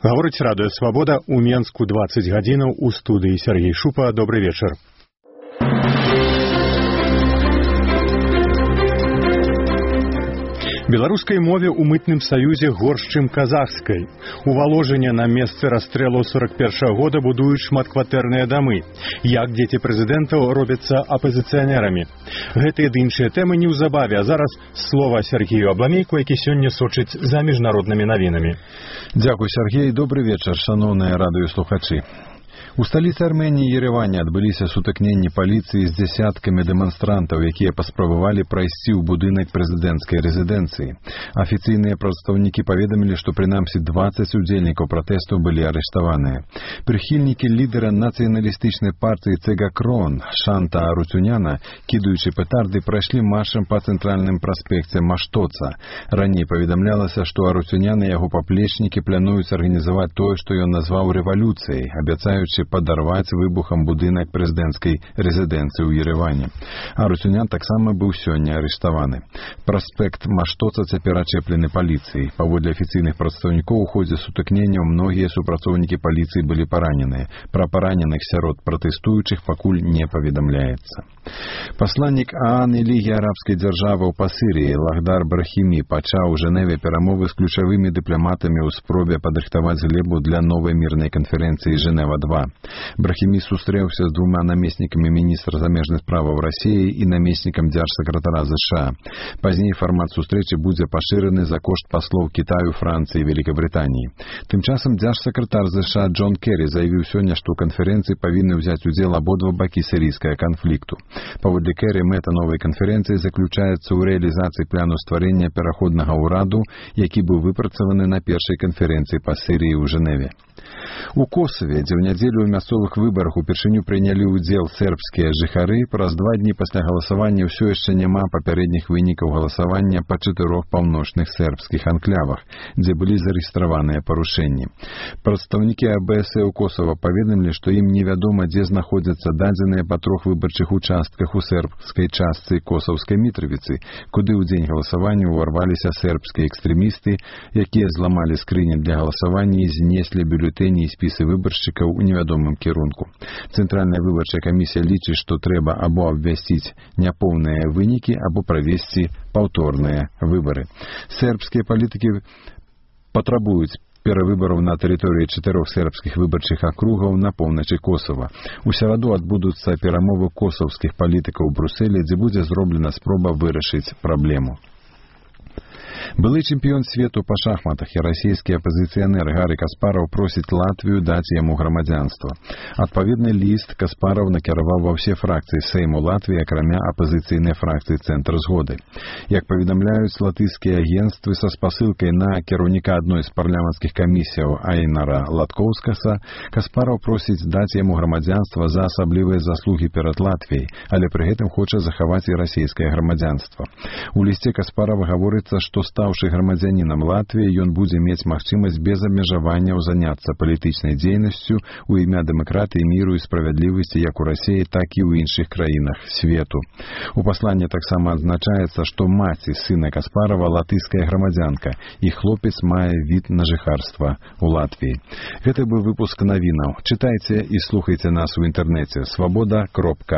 Гаворыць радыё «Свабода» у Менску 20 гадзінаў у студыі Сергей Шупа. Добры вечар. Беларускай мове ў мытным саюзе горш, чым казахскай. У Валожыне на месцы расстрэлу 41-го года будуюць шматкватэрныя дамы. Як дзеці прэзідэнтаў робяцца апазіцыянерамі. Гэтыя ды іншыя тэмы неўзабаве, а зараз слова Сергею Абламейку, які сёння сочыць за міжнароднымі навінамі. Дзякуй, Сергей. Добры вечар, шаноўныя радыёслухачы. У сталіцы Арменіі Ереване адбыліся сутыкненні паліцыі з дзясяткамі дэманстрантаў, якія паспрабавалі прайсці ў будынак прэзідэнцкай рэзідэнцыі. Афіцыйныя прадстаўнікі паведамілі, што прынамсі 20 удзельнікаў пратэсту былі арыштаваныя. Прыхільнікі лідара нацыяналістычнай партыі Цегакрон Шанта Арутюняна, кідаючы петарды, прайшлі маршам па цэнтральным праспекце Маштоца. Раней паведамлялася, што Арутюнян і яго паплечнікі плануюць арганізаваць тое, што ён назваў рэвалюцыяй, абяцаючы падарваць выбухам будынак прэзідэнцкай рэзідэнцыі ў Ереване. Арутюнян таксама быў сёння арыштаваны. Праспект Маштоца цяпер ачэплены паліцыяй. Паводле афіцыйных прадстаўнікоў у ходзе сутыкненняў многія супрацоўнікі паліцыі былі параненыя. Пра параненых сярод пратэстуючых пакуль не паведамляецца. Пасланнік ААН і Лігі арабскай дзяржаваў па Сірыі Лахдар Брахімі пачаў у Жэневе перамовы з ключавымі дыпламатамі ў спробе падрыхтаваць глебу для новай мірнай канферэнцыі Жэнева-2. Брахімі сустрэўся з двума намеснікамі міністра замежных справаў Расіі і намеснікам дзяржсакратара ЗША. Пазней фармат сустрэчы будзе пашыраны за кошт паслоў Кітаю, Францыі і Великабрытаніі. Тым часам дзяржсакратар ЗША Джон Керрі заявіў сёння, што ў канферэнцыі павінны ўзяць удзел абодва бакі сірыйскага канфлікту. Паводле Керрі, мэта новай канферэнцыі заключаецца ў рэалізацыі плану стварэння пераходнага ўраду, які быў выпрацаваны на першай канферэнцыі па Сірыі ў Жэневе. У Косаве, дзе ў нядзелю ў мясцовых выбарах упершыню прынялі ўдзел сербскія жыхары, праз 2 дні пасля галасавання ўсё яшчэ няма папярэдніх вынікаў галасавання па 4 паўночных сербскіх анклявах, дзе былі зарэгістраваныя парушэнні. Прадстаўнікі АБС у Косава паведамілі, што ім невядома, дзе знаходзяцца дадзеныя па 3 выбарчых участках у сербскай частцы Косаўскай Мітрывіцы, куды ў дзень галасавання ўварваліся сербскія экстрэмісты, якія зламалі скрыні для галасавання і знеслі бюлетэні і спісы выбаршчыкаў у невядомым кірунку. Цэнтральная выбарчая камісія лічыць, што трэба або абвясціць няпоўныя вынікі, або правесці паўторныя выбары. Сербскія палітыкі патрабуюць перавыбараў на тэрыторыі 4 сербскіх выбарчых акругаў на поўначы Косава. У сераду адбудуцца перамовы косаўскіх палітыкаў у Брусэлі, дзе будзе зроблена спроба вырашыць праблему. Былы чэмпіён свету па шахматах і расійскі апазіцыянер Гарі Каспараў просіць Латвію даць яму грамадзянства. Адпаведны ліст Каспараў накіраваў ва ўсе фракцыі Сейму Латвіі, акрамя апазіцыйнай фракцыі «Цэнтр згоды». Як паведамляюць латышскія агенцтвы, са спасылкай на кіраўніка адной з парламенцкіх камісіяў Айнара Латкоўскаса, Каспараў просіць даць яму грамадзянства за асаблівыя заслугі перад Латвіяй, але пры гэтым хоча захаваць і расійскае грамадзянства. У лісце Каспарава гаворыцца, што стаўшы грамадзянінам Латвіі, ён будзе мець магчымасць без абмежаванняў заняцца палітычнай дзейнасцю ў імя дэмакратыі, міру і справядлівасці як у Расіі, так і ў іншых краінах свету. У пасланні таксама адзначаецца, што маці сына Каспарава латышская грамадзянка, і хлопец мае від на жыхарства ў Латвіі. Гэта быў выпуск навінаў. Чытайце і слухайце нас у інтэрнэце свабода.орг.